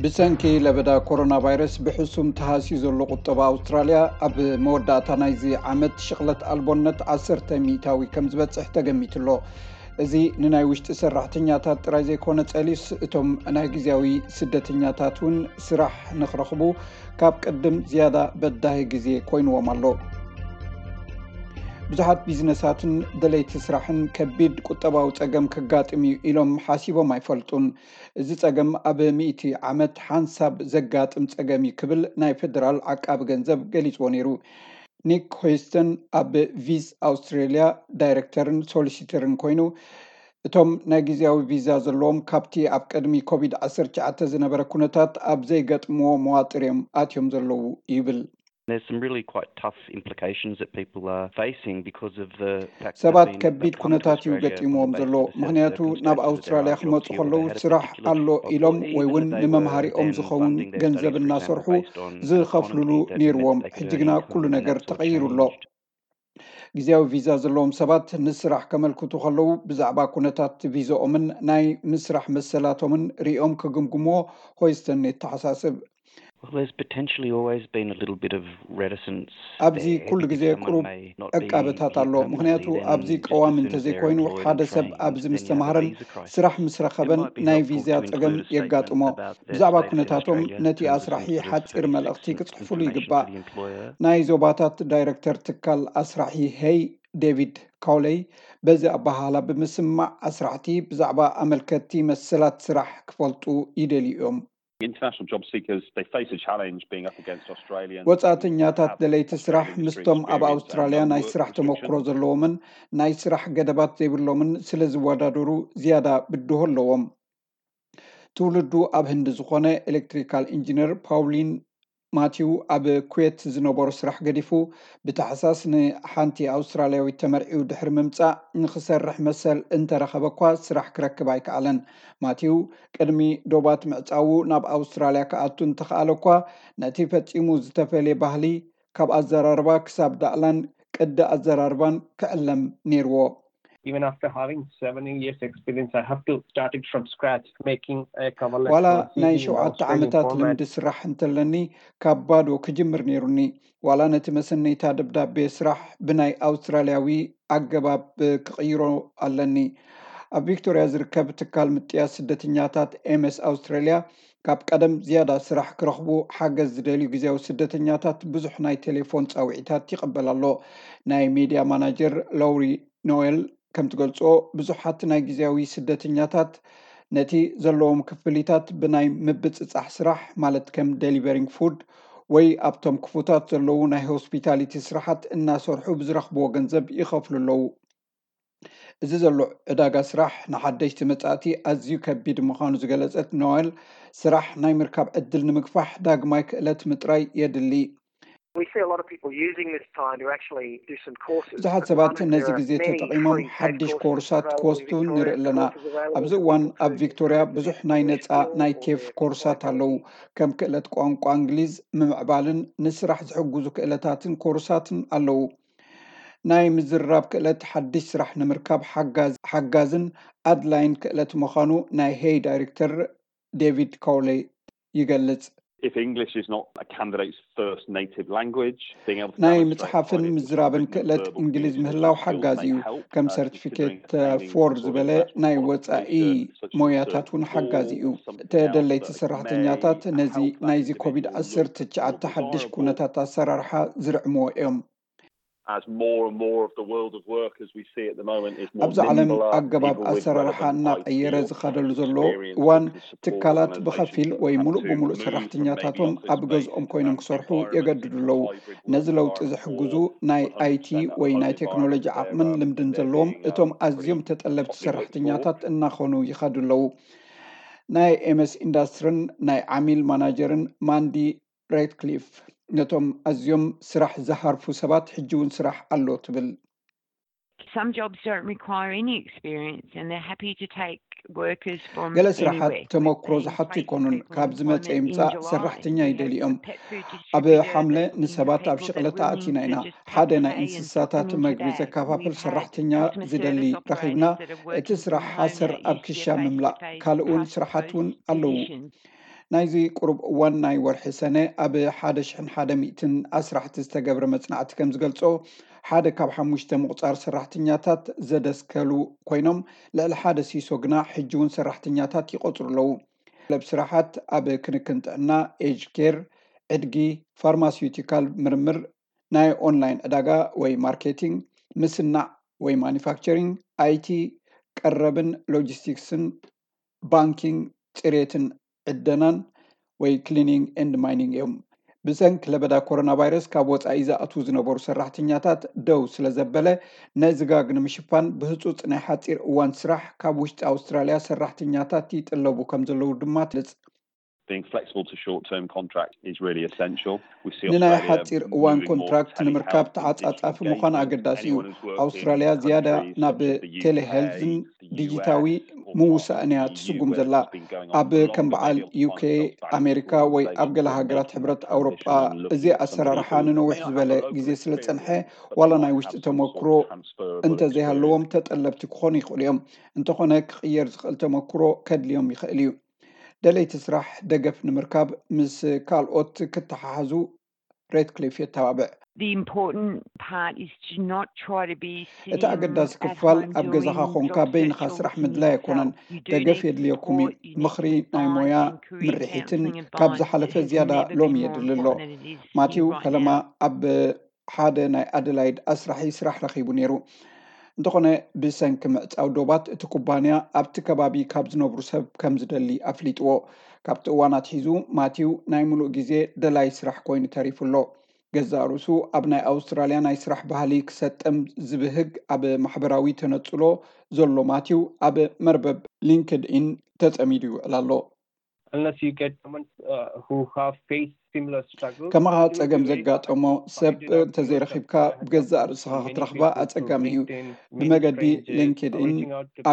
ብሰንኪ ለበዳ ኮሮና ቫይረስ ብሕሱም ተሃስዩ ዘሎ ቁጠባ ኣውስትራልያ፣ ኣብ መወዳእታ ናይዚ ዓመት ሽቕለት ኣልቦነት ዓሰርተ ሚእታዊ ከም ዝበጽሕ ተገሚቱ ኣሎ። እዚ ንናይ ውሽጢ ሰራሕተኛታት ጥራይ ዘይኮነ ጸሊስ፣ እቶም ናይ ግዜያዊ ስደተኛታት እውን ስራሕ ንኽረኽቡ ካብ ቅድም ዝያዳ በዳሂ ግዜ ኮይንዎም ኣሎ። ብዙሓት ቢዝነሳትን ደለይቲ ስራሕን ከቢድ ቁጠባዊ ጸገም ከጋጥም እዩ ኢሎም ሓሲቦም ኣይፈልጡን። እዚ ጸገም ኣብ ሚእቲ ዓመት ሓንሳብ ዘጋጥም ጸገም እዩ ክብል ናይ ፌደራል ዓቃቢ ገንዘብ ገሊጽዎ ነይሩ። ኒክ ሆይስተን ኣብ ቪዝ ኣውስትሬልያ ዳይሬክተርን ሶሊሲተርን ኮይኑ፣ እቶም ናይ ግዜያዊ ቪዛ ዘለዎም ካብቲ ኣብ ቅድሚ ኮቪድ ዓሰርተ ትሽዓተ ዝነበረ ኩነታት ኣብ ዘይገጥምዎ መዋጥር እዮም ኣትዮም ዘለዉ ይብል። There's some really quite tough implications that people are facing because of the fact that ሰባት they've been- ከቢድ they've come to ኩነታት እዩ Australia ገጢምዎም on the ዘሎ። basis of the ምኽንያቱ ናብ circumstances that they're ኣውስትራልያ either ክመፁ particular ከለዉ they had a ስራሕ particular ኣሎ job offer ኢሎም or ወይ even እውን that they were ንመምሃሪኦም then ዝኸውን funding their ገንዘብ studies, for example, እናሰርሑ based on an ዝኸፍሉሉ economy that ነይርዎም። meant that they could ሕጂ ግና earn income, ኩሉ and ነገር that's all ተቐይሩ ኣሎ። changed. ግዜያዊ ቪዛ ዘለዎም ሰባት ንስራሕ ከመልክቱ ከለዉ ብዛዕባ ኩነታት ቪዛኦምን ናይ ምስራሕ መሰላቶምን ሪኦም ክግምግምዎ ሆይስተን የተሓሳስብ። Well, there's potentially always been a little bit of reticence ኣብዚ there ኩሉ because ግዜ someone ቁሩብ may not be ዕቃበታት here ኣሎ። ምኽንያቱ permanently, then ኣብዚ just as ቀዋሚ soon as they're እንተዘይኮይኑ employed ሓደ and ሰብ trained, ኣብዚ then ምስ you have a ተማሃረን visa crisis. ስራሕ ምስ It ረኸበን might be ናይ helpful ቪዛ to include ጸገም a statement የጋጥሞ። about their ብዛዕባ status in ኩነታቶም Australia in ነቲ terms of ኣስራሒ sort of ሓጺር thirty-six መልእኽቲ months ክጽሕፍሉ information ይግባእ። to the employer. ናይ ዞባታት ዳይሬክተር ትካል ኣስራሒ ሄይ ዴቪድ ካውለይ በዚ ኣበሃህላ ብምስማዕ ኣስራሕቲ ብዛዕባ ኣመልከትቲ መሰላት ስራሕ ክፈልጡ ይደልዩ እዮም። International job seekers, they face a challenge being up against Australians. ወጻእተኛታት ደለይቲ ስራሕ ምስቶም ኣብ ኣውስትራልያ ናይ ስራሕ ተመክሮ ዘለዎምን ናይ ስራሕ ገደባት ዘይብሎምን ስለ ዝወዳደሩ ዝያዳ ብድሆ ኣለዎም። ትውልዱ ኣብ ህንዲ ዝኾነ ኤሌክትሪካል ኢንጂነር ፓውሊን ማቲው ኣብ ኩዌት ዝነበሮ ስራሕ ገዲፉ ብታሕሳስ ንሓንቲ ኣውስትራልያዊት ተመርዒው ድሕሪ ምምጻእ ንኽሰርሕ መሰል እንተረኸበ እኳ ስራሕ ክረክብ ኣይከኣለን። ማቲው ቅድሚ ዶባት ምዕጻዉ ናብ ኣውስትራልያ ክኣቱ እንተኸኣለ እኳ ነቲ ፈጺሙ ዝተፈልየ ባህሊ ካብ ኣዘራርባ ክሳብ ዳእላን ቅዲ ኣዘራርባን ክዕለም ነይርዎ። Even after having seven years experience, I have to start it from scratch, making a cover letter. ዋላ for a ናይ C V in ሸውዓተ Australian ዓመታት format. ልምዲ ስራሕ እንተለኒ ካብ ባዶ ክጅምር ነይሩኒ። ዋላ ነቲ መሰነይታ ደብዳቤ ስራሕ ብናይ ኣውስትራልያዊ ኣገባብ ክቕይሮ ኣለኒ። ኣብ ቪክቶርያ ዝርከብ ትካል ምጥያስ ስደተኛታት ኤምኤስ ኣውስትራልያ ካብ ቀደም ዝያዳ ስራሕ ክረኽቡ ሓገዝ ዝደልዩ ግዜያዊ ስደተኛታት ብዙሕ ናይ ቴሌፎን ጻውዒታት ይቕበል ኣሎ። ናይ ሜድያ ማናጀር ሎውሪ ኖዌል ከም ትገልጾ ብዙሓት ናይ ግዜያዊ ስደተኛታት ነቲ ዘለዎም ክፍሊታት ብናይ ምብጽጻሕ ስራሕ ማለት ከም ደሊቨሪንግ ፉድ ወይ ኣብቶም ክፉታት ዘለዉ ናይ ሆስፒታሊቲ ስራሓት እናሰርሑ ብዝረኽብዎ ገንዘብ ይኸፍሉ ኣለዉ። እዚ ዘሎ ዕዳጋ ስራሕ ንሓደሽቲ መጻእቲ ኣዝዩ ከቢድ ምዃኑ ዝገለጸት ኖዌል ስራሕ ናይ ምርካብ ዕድል ንምግፋሕ ዳግማይ ክእለት ምጥራይ የድሊ። We see a lot of people using this time to actually do some courses. ብዙሓት ሰባት ነዚ ግዜ ተጠቒሞም ሓድሽ ኮርሳት ክወስዱ ንርኢ ኣለና። ኣብዚ እዋን ኣብ ቪክቶርያ ብዙሕ ናይ ነጻ ናይ ቴፍ ኮርሳት ኣለዉ። ከም ክእለት ቋንቋ እንግሊዝ ምምዕባልን ንስራሕ ዝሕግዙ ክእለታትን ኮርሳትን ኣለዉ። ናይ ምዝርራብ ክእለት ሓድሽ ስራሕ ንምርካብ ሓጋዝን ኣድላይን ክእለት ምዃኑ ናይ ሄይ ዳይሬክተር ዴቪድ ኮውሌ ይገልጽ። If English is not a candidate's first native language, being able to ናይ ምጽሓፍን ምዝራብን ክእለት እንግሊዝ ምህላው ሓጋዚ እዩ። ከም ሰርቲፊኬት ፎር ዝበለ ናይ ወጻኢ ሞያታት እውን ሓጋዚ እዩ። ተደለይቲ ሰራሕተኛታት ነዚ ናይዚ ኮቪድ ዓሰርተ ትሽዓተ ሓድሽ ኩነታት ኣሰራርሓ ዝርዕምዎ እዮም። As more and more of the world of work as we see at the moment is more ኣብዚ ዓለም ኣገባብ ኣሰራርሓ እናቐየረ ዝኸደሉ ዘሎ እዋን ትካላት ብኸፊል ወይ ሙሉእ ብሙሉእ ሰራሕተኛታቶም ኣብ ገዝኦም ኮይኖም ክሰርሑ የገድዱ ኣለዉ። ነዚ ለውጢ ዝሕግዙ ናይ ኣይቲ ወይ ናይ ቴክኖሎጂ ዓቕምን ልምድን ዘለዎም እቶም ኣዝዮም ተጠለብቲ ሰራሕተኛታት እናኾኑ ይኸዱ ኣለዉ። ናይ ኤምኤስ ኢንዳስትርን ናይ ዓሚል ማናጀርን ማንዲ ሬድክሊፍ ነቶም ኣዝዮም ስራሕ ዝሃርፉ ሰባት ሕጂ እውን ስራሕ ኣሎ ትብል። Some jobs don't require any experience and they're happy to take workers from ገለ ስራሓት anywhere. ተመክሮ ዝሓቱ ኣይኮኑን። ካብ ዝመጸ ይምጻእ ሰራሕተኛ ይደልዮም። ኣብ ሓምለ ንሰባት ኣብ ሽቕለት ኣእቲና ኢና። ሓደ ናይ እንስሳታት መግቢ ዘከፋፍል ሰራሕተኛ ዝደሊ ረኺብና። እቲ ስራሕ ሓሰር ኣብ ክሻ ምምላእ ካልእ እውን ስራሓት እውን ኣለዉ። ናይዚ ቁሩብ እዋን ናይ ወርሒ ሰነ ኣብ ሓደ ሽሕን ሓደ ሚእትን ኣስራሕቲ ዝተገብረ መጽናዕቲ ከም ዝገልጾ፣ ሓደ ካብ ሓሙሽተ ምቑጻር ሰራሕተኛታት ዘደስከሉ ኮይኖም፣ ልዕሊ ሓደ ሲሶ ግና ሕጂ እውን ሰራሕተኛታት ይቆጽሩ ኣለዉ። ለብ ስራሓት ኣብ ክንክን ጥዕና፣ ኤጅ ኬር፣ ዕድጊ፣ ፋርማሲዩቲካል ምርምር፣ ናይ ኦንላይን ዕዳጋ ወይ ማርኬቲንግ፣ ምስናዕ ወይ ማኒፋክቸሪንግ፣ ኣይቲ፣ ቀረብን ሎጂስቲክስን፣ ባንኪንግ፣ ጽሬትን ዕደናን ወይ ክሊኒንግ ኤንድ ማይኒንግ እዮም። ብሰንኪ ለበዳ ኮሮና ቫይረስ ካብ ወጻኢ ዝኣትዉ ዝነበሩ ሰራሕተኛታት ደው ስለ ዘበለ፣ ነዚ ጋግ ንምሽፋን ብህጹጽ ናይ ሓጺር እዋን ስራሕ ካብ ውሽጢ ኣውስትራልያ ሰራሕተኛታት ይጥለቡ ከም ዘለዉ ድማ ትልጽ። Being flexible to short-term contract is really essential. We see ንናይ Australia ሓጺር እዋን moving more ኮንትራክት to ንምርካብ telehealth and digital ተዓጻጻፊ ምዃን engagement. ኣገዳሲ እዩ። Anyone who's worked ኣውስትራልያ in ዝያዳ countries ናብ such as the U K, ቴሌሄልዝን the ዲጂታዊ U S, or ምውሳእ እያ the U S, ትስጉም ዘላ። it's been going on ኣብ for longer, ከም በዓል but you'll ዩኬ፣ find that banks ኣሜሪካ will ወይ say ኣብ ገለ we're ሃገራት making ሕብረት this ኣውሮጳ transition and looking እዚ at somebody ኣሰራርሓ who ንነዊሕ may not ዝበለ have over ግዜ ስለ experience, ጸንሐ but ዋላ might ናይ have ውሽጢ some sort ተመክሮ of transferable እንተዘይሃለዎም experience. ተጠለብቲ ክኾኑ ይኽእሉ እዮም። እንተኾነ ክቕየር ዝኽእል ተመክሮ ከድልዮም ይኽእል እዩ። ደለይቲ ስራሕ ደገፍ ንምርካብ ምስ ካልኦት ክተሓሓዙ ሬድክሊፍ የተባብዕ። The important part is to not try to be sitting እቲ ኣገዳሲ at ክፋል home ኣብ ገዛኻ doing ኮንካ job በይንኻ search or ስራሕ listening ምድላይ to ኣይኮነን። yourself. You do ደገፍ need የድልየኩም እዩ። support, you need ምኽሪ to ናይ find ሞያ and create ምርሒትን counselling and ካብ guidance ዝሓለፈ has ዝያዳ never ሎሚ been more የድሊ ኣሎ። important than it is ማቲው right ፈለማ now. ኣብ ሓደ ናይ ኣደላይድ ኣስራሒ ስራሕ ረኺቡ ነይሩ። እንተኾነ ብሰንኪ ምዕጻው ዶባት እቲ ኩባንያ ኣብቲ ከባቢ ካብ ዝነብሩ ሰብ ከም ዝደሊ ኣፍሊጥዎ። ካብቲ እዋን ኣትሒዙ ማቲው ናይ ምሉእ ግዜ ደላይ ስራሕ ኮይኑ ተሪፉ ኣሎ። ገዛእ ርእሱ ኣብ ናይ ኣውስትራልያ ናይ ስራሕ ባህሊ ክሰጥም ዝብህግ ኣብ ማሕበራዊ ተነጽሎ ዘሎ ማቲው ኣብ መርበብ ሊንክድኢን ተጸሚዱ ይውዕል ኣሎ። Unless you get someone uh, who have faced similar struggles. ከማኻ ጸገም ዘጋጠሞ ሰብ እንተዘይረኺብካ ብገዛእ ርእስኻ ክትረኽባ ኣጸጋሚ እዩ። ብመገዲ ሊንክድኢን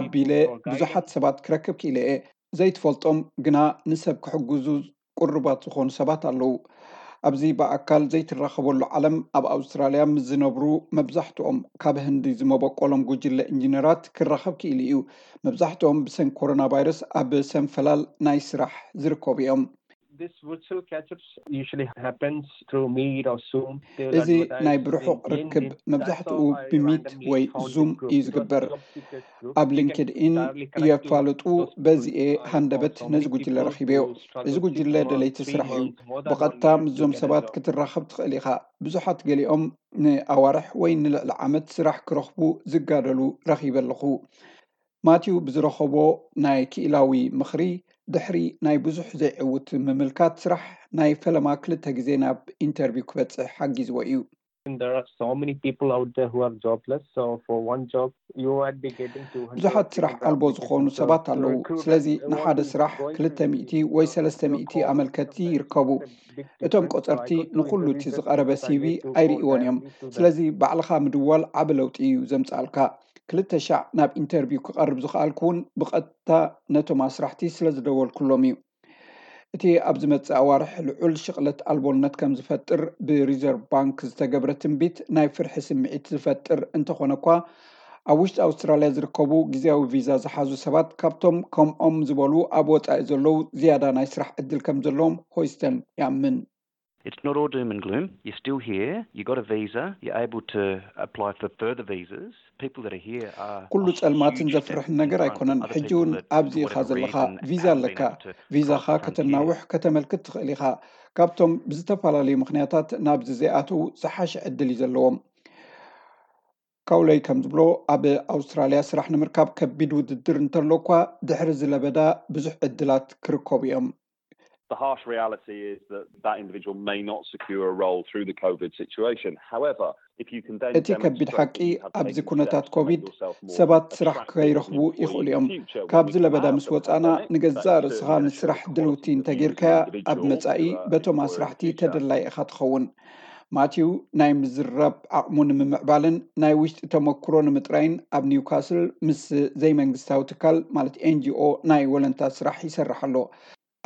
ኣቢለ ብዙሓት ሰባት ክረክብ ክኢለ እየ። ዘይትፈልጦም ግና ንሰብ ክሕግዙ ቅሩባት ዝኾኑ ሰባት ኣለዉ። ኣብዚ ብኣካል ዘይትራኸበሉ ዓለም ኣብ ኣውስትራልያ ምስ ዝነብሩ መብዛሕትኦም ካብ ህንዲ ዝመበቆሎም ጉጅለ ኢንጂነራት ክራኸብ ክኢሉ እዩ። መብዛሕትኦም ብሰንኪ ኮሮና ቫይረስ ኣብ ሰንፈላል ናይ ስራሕ ዝርከቡ እዮም። This virtual catch-ups usually happens through Meet or Zoom. They will እዚ advertise ናይ the ብርሑቕ LinkedIn. ርክብ That's መብዛሕትኡ how I ብሚት randomly ወይ found ዙም this group. እዩ It was ዝግበር። a job seekers group. ኣብ You can ሊንክድኢን directly connect to የፋልጡ those people. በዚኤ I found ሃንደበት so ነዚ many ጉጅለ people ረኺበዮ። who struggle እዚ six ጉጅለ months, ደለይቲ three ስራሕ እዩ። months, more than one ብቐጥታ year to ምስዞም get a ሰባት job. ክትራኸብ ትኽእል ኢኻ። ብዙሓት ገሊኦም ንኣዋርሕ ወይ ንልዕሊ ዓመት ስራሕ ክረኽቡ ዝጋደሉ ረኺበ ኣለኹ። ማቲው ብዝረኸቦ ናይ ክኢላዊ ምኽሪ ድሕሪ ናይ ብዙሕ ዘይዕውት ምምልካት ስራሕ ናይ ፈለማ ክልተ ግዜ ናብ ኢንተርቪው ክበጽሕ ሓጊዝዎ እዩ። And there are so many people out there who are jobless. So for one job, you might be getting two hundred. ብዙሓት ስራሕ ኣልቦ ዝኾኑ ሰባት ኣለዉ። ስለዚ ንሓደ ስራሕ ክልተ ሚእቲ ወይ ሰለስተ ሚእቲ ኣመልከቲ ይርከቡ። እቶም ቆጸርቲ ንኹሉ እቲ ዝቐረበ ሲቪ ኣይርእይዎን እዮም። ስለዚ ባዕልኻ ምድዋል ዓቢ ለውጢ እዩ ዘምጽኣልካ። ክልተ ሻዕ ናብ ኢንተርቪው ክቐርብ ዝኸኣልኩ እውን ብቐጥታ ነቶም ኣስራሕቲ ስለ ዝደወልኩሎም እዩ። እቲ ኣብ ዝመጽእ ኣዋርሕ ልዑል ሽቕለት ኣልቦነት ከም ዝፈጥር ብሪዘርቭ ባንክ ዝተገብረ ትንቢት ናይ ፍርሒ ስምዒት ዝፈጥር እንተኾነ እኳ፣ ኣብ ውሽጢ ኣውስትራልያ ዝርከቡ ግዜያዊ ቪዛ ዝሓዙ ሰባት ካብቶም ከምኦም ዝበሉ ኣብ ወጻኢ ዘለዉ ዝያዳ ናይ ስራሕ ዕድል ከም ዘለዎም ሆይስተን ይኣምን። It's not all doom and gloom. You're still here. You got a visa. You're able to apply for further visas. People that are here are ኩሉ ጸልማትን ዘፍርሕን ነገር ኣይኮነን። ሕጂ እውን ኣብዚ ኢኻ ዘለኻ፣ ቪዛ ኣለካ። ቪዛኻ ከተናውሕ፣ ከተመልክት ትኽእል ኢኻ። ካብቶም ብዝተፈላለዩ ምኽንያታት ናብዚ ዘይኣተዉ ዝሓሸ ዕድል እዩ ዘለዎም። ካውለይ ከም ዝብሎ፣ ኣብ ኣውስትራልያ ስራሕ ንምርካብ ከቢድ ውድድር እንተሎ እኳ፣ ድሕሪ እዚ ለበዳ ብዙሕ ዕድላት ክርከቡ እዮም። The harsh reality is that that individual may not secure a role through the COVID situation. However, if you can then እቲ ከቢድ ሓቂ ኣብዚ ኩነታት ኮቪድ ሰባት ስራሕ ከይረኽቡ ይኽእሉ እዮም። ካብዚ ለበዳ ምስ ወጻና ንገዛእ ርእስኻ ንስራሕ ድልውቲ እንተጌርካያ ኣብ መጻኢ በቶም ኣስራሕቲ ተደላይ ኢኻ ትኸውን። ማቲው ናይ ምዝራብ ዓቕሙ ንምምዕባልን ናይ ውሽጢ ተመክሮ ንምጥራይን ኣብ ኒውካስል ምስ ዘይመንግስታዊ ትካል ማለት ኤንጂኦ ናይ ወለንታ ስራሕ ይሰርሕ ኣሎ።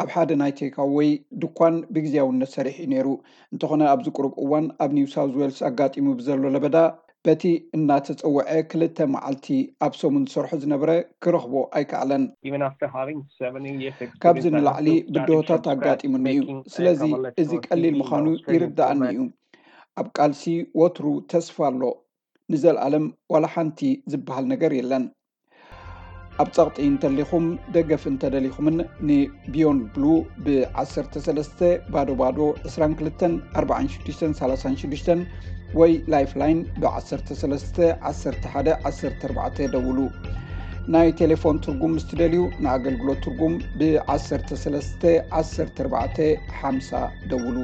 ኣብ ሓደ ናይ ቴካወይ ድኳን ብግዜያውነት ሰሪሑ እዩ ነይሩ። እንተኾነ ኣብዚ ቁሩብ እዋን ኣብ ኒው ሳውዝ ዌልስ ኣጋጢሙ ብዘሎ ለበዳ በቲ እናተጸውዐ ክልተ መዓልቲ ኣብ ሰሙን ዝሰርሖ ዝነበረ ክረኽቦ ኣይከኣለን። Even after having seven years ካብዚ experience, I have ንላዕሊ still started ብድሆታት from scratch, ኣጋጢሙኒ እዩ። making a ስለዚ coverlet እዚ for ቀሊል T V in ምዃኑ Australian ይርዳኣኒ format. እዩ። ኣብ ቃልሲ ወትሩ ተስፋ ኣሎ። ንዘለኣለም ዋላ ሓንቲ ዝበሃል ነገር የለን። ኣብ ጸቕጢ እንተሊኹም ደገፍ እንተደሊኹምን ን Beyond Blue ብ ዓሰርተ ሰለስተ ባዶ ባዶ ዕስራን ክልተን ኣርባዓን ሽዱሽተን ሰላሳን ሽዱሽተን ወይ Lifeline ብ ዓሰርተ ሰለስተ ዓሰርተ ሓደ ዓሰርተ ኣርባዕተ ደውሉ። ናይ ቴሌፎን ትርጉም ምስ ትደልዩ ንኣገልግሎት ትርጉም ብ ዓሰርተ ሰለስተ ዓሰርተ ኣርባዕተ ሓምሳ ደውሉ።